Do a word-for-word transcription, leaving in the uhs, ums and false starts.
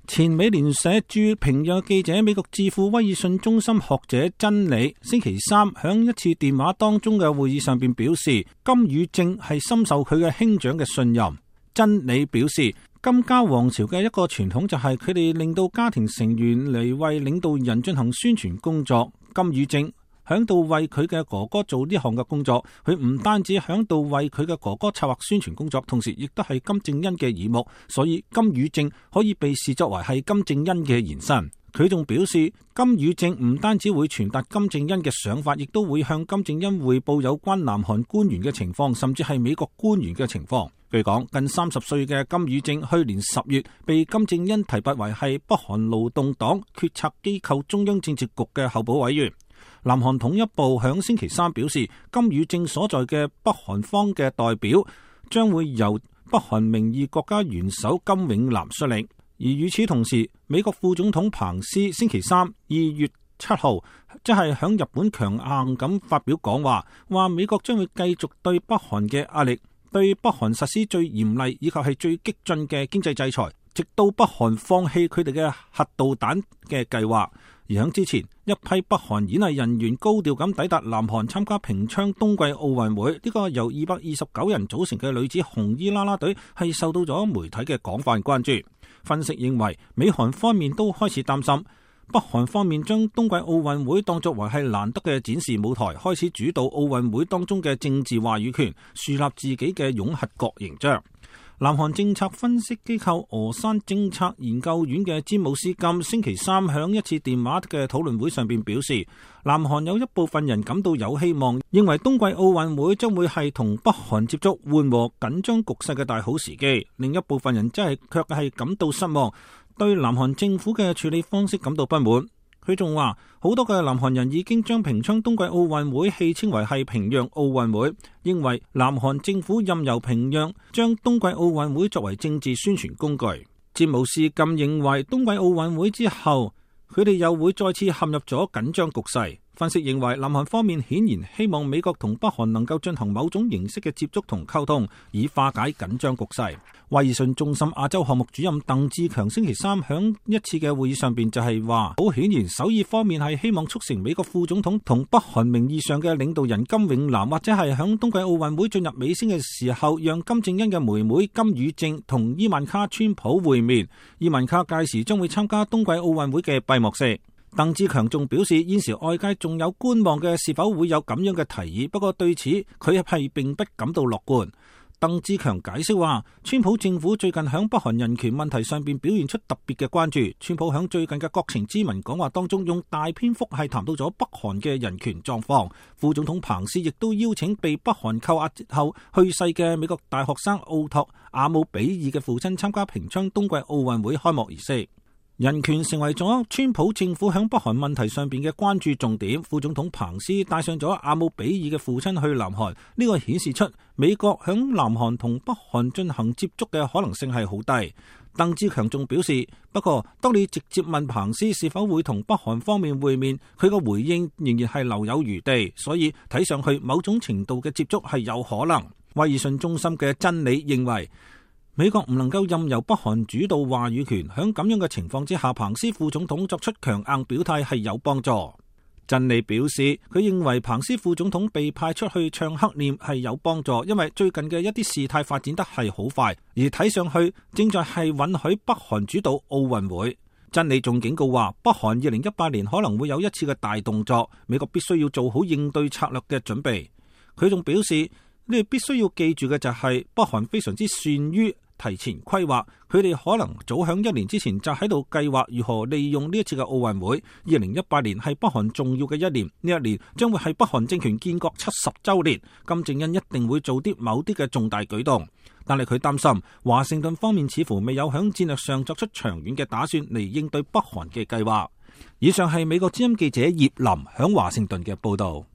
前美聯社駐平壤記者、美國智庫威爾遜中心學者珍妮星期三響一次電話當中嘅會議上邊表示，金與正係深受佢嘅兄長嘅信任。珍妮表示，金家王朝嘅一個傳統就係佢哋令到家庭成員嚟為領導人進行宣傳工作。金與正響度為佢嘅哥哥做呢項嘅工作，佢唔單止響度為佢嘅哥哥策劃宣傳工作，同時亦都係金正恩嘅耳目，所以金與正可以被視作為係金正恩嘅延伸。佢仲表示，金與正唔單止會傳達金正恩嘅想法，亦都會向金正恩匯報有關南韓官員嘅情況，甚至係美國官員嘅情況。據講，近三十歲嘅金與正去年十月被金正恩提拔為係北韓勞動黨決策機構中央政治局嘅候補委員。南韓統一部響星期三表示，金與正所在嘅北韓方嘅代表將會由北韓名義國家元首金永南率領。而與此同時，美國副總統彭斯星期三二月七號即係響日本強硬咁發表講話，話美國將會繼續對北韓嘅壓力，對北韓實施最嚴厲以及係最激進嘅經濟制裁，直到北韓放棄佢哋嘅核導彈嘅計劃。而喺之前，一批北韓演藝人員高調咁抵達南韓參加平昌冬季奧運會，呢、這個由二百二十九人組成嘅女子紅衣啦啦隊係受到咗媒體嘅廣泛關注。分析認為，美韓方面都開始擔心，北韓方面將冬季奧運會當作為係難得嘅展示舞台，開始主導奧運會當中嘅政治話語權，樹立自己嘅擁核國形象。南韓政策分析機構峨山政策研究院嘅詹姆斯金星期三響一次電話嘅討論會上邊表示，南韓有一部分人感到有希望，認為冬季奧運會將會係同北韓接觸緩和緊張局勢嘅大好時機。另一部分人真係卻係感到失望，對南韓政府嘅處理方式感到不滿。佢仲話，好多嘅南韓人已經將平昌冬季奧運會戲稱為係平壤奧運會，認為南韓政府任由平壤將冬季奧運會作為政治宣傳工具。詹姆斯金認為，冬季奧運會之後，佢哋又會再次陷入咗緊張局勢。分析認為，南韓方面顯然希望美國同北韓能夠進行某種形式嘅接觸同溝通，以化解緊張局勢。威爾遜中心亞洲項目主任鄧志強星期三響一次嘅會議上邊就係話，好顯然首爾方面係希望促成美國副總統同北韓名義上嘅領導人金永南，或者係響冬季奧運會進入尾聲嘅時候，讓金正恩嘅妹妹金與正同伊萬卡川普會面。伊萬卡屆時將會參加冬季奧運會嘅閉幕式。鄧志強仲表示，現時外界仲有觀望嘅是否會有咁樣嘅提議，不過對此佢係並不感到樂觀。鄧志強解釋話，川普政府最近響北韓人權問題上邊表現出特別嘅關注。川普響最近嘅國情咨文講話當中，用大篇幅係談到咗北韓嘅人權狀況。副總統彭斯亦都邀請被北韓扣押後去世嘅美國大學生奧托阿姆比爾嘅父親參加平昌冬季奧運會開幕儀式。人權成為咗川普政府響北韓問題上邊嘅關注重點。副總統彭斯帶上咗阿姆比爾嘅父親去南韓，呢個顯示出美國響南韓同北韓進行接觸嘅可能性係好低。鄧志強仲表示，不過當你直接問彭斯是否會同北韓方面會面，佢個回應仍然係留有餘地，所以睇上去某種程度嘅接觸係有可能。威爾遜中心嘅真理認為，美國唔能夠任由北韓主導話語權，喺咁樣嘅情況之下，彭斯副總統作出強硬表態係有幫助。真理表示，佢認為彭斯副總統被派出去唱黑臉係有幫助，因為最近嘅一啲事態發展得係好快，而睇上去正在係允許北韓主導奧運會。真理仲警告話，北韓二零一八年可能會有一次嘅大動作，美國必須要做好應對策略嘅準備。佢仲表示，你哋必須要記住嘅就係北韓非常之善於提前規劃，佢哋可能早響一年之前就喺度計劃如何利用呢一次嘅奧運會。二零一八年係北韓重要嘅一年，呢一年將會係北韓政權建國七十周年，金正恩一定會做啲某啲嘅重大舉動。但係佢擔心華盛頓方面似乎未有響戰略上作出長遠嘅打算嚟應對北韓嘅計劃。以上係美國之音記者葉林響華盛頓嘅報道。